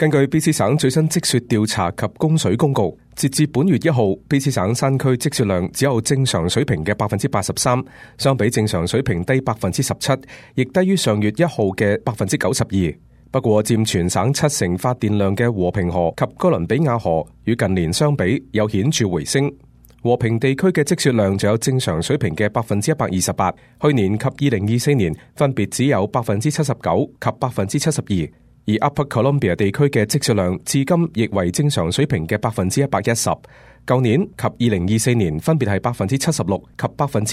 根據 BC 省最新積雪調查及供水公告，截至本月1號，BC 省山區積雪量只有正常水平嘅83%，相比正常水平低17%，亦低於上月1號嘅92%。不過，佔全省70%發電量嘅和平河及哥倫比亞河與近年相比有顯著回升。和平地區嘅積雪量就有正常水平嘅128%，去年及2024年分別只有79%及72%。而 Upper Columbia 地區嘅積雪量至今亦為正常水平嘅110%，舊年及2024年分別係76%及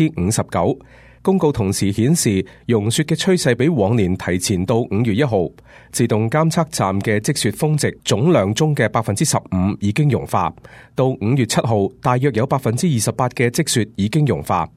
59%。公告同時顯示，融雪嘅趨勢比往年提前到5月1號。自動監測站嘅積雪峰值總量中嘅15%已經融化，到5月7號，大約有28%嘅積雪已經融化。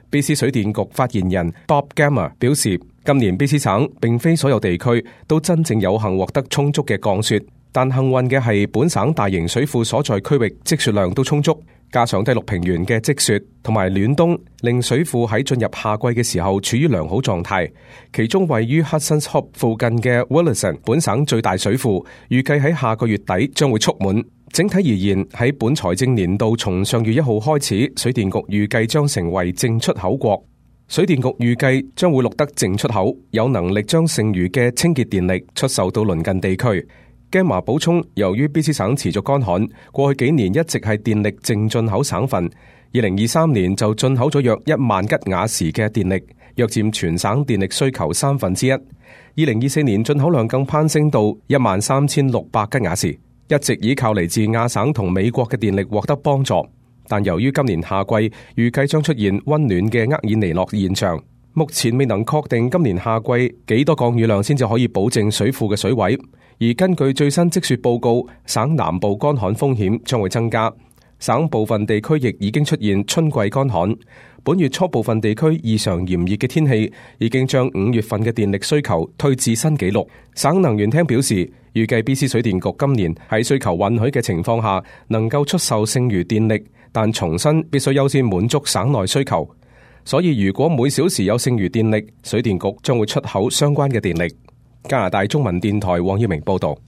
BC 水電局發言人 Bob Gammer 表示，今年 BC 省並非所有地區都真正有幸獲得充足嘅降雪，但幸運嘅係本省大型水庫所在區域積雪量都充足，加上低陸平原嘅積雪同埋暖冬，令水庫喺進入夏季嘅時候處於良好狀態。其中位於 Hudson's Hope 附近嘅 Williston 本省最大水庫，預計喺下個月底將會蓄滿。整體而言，喺本財政年度從上月1號開始，水電局預計將成為淨出口國。水電局預計將會錄得淨出口，有能力將剩餘嘅清潔電力出售到鄰近地區。Gamma 補充，由於 BC 省持續乾旱，過去幾年一直係電力淨進口省份。2023年就進口咗約1萬吉瓦時嘅電力，約佔全省電力需求1/3。2024年進口量更攀升到13600吉瓦時，一直依靠嚟自亞省同美國嘅電力獲得幫助。但由於今年夏季預計將出現溫暖嘅厄爾尼諾現象，目前未能確定今年夏季幾多降雨量先至可以保證水庫嘅水位。而根據最新積雪報告，省南部乾旱風險將會增加，省部分地區亦已經出現春季乾旱。本月初部分地區異常炎熱嘅天氣已經將5月份嘅電力需求推至新紀錄。省能源廳表示，預計 BC 水電局今年喺需求允許嘅情況下，能夠出售剩餘電力，但重申必須優先滿足省內需求。所以如果每小時有剩餘電力，水電局將會出口相關嘅電力。加拿大中文電台黃耀明報道。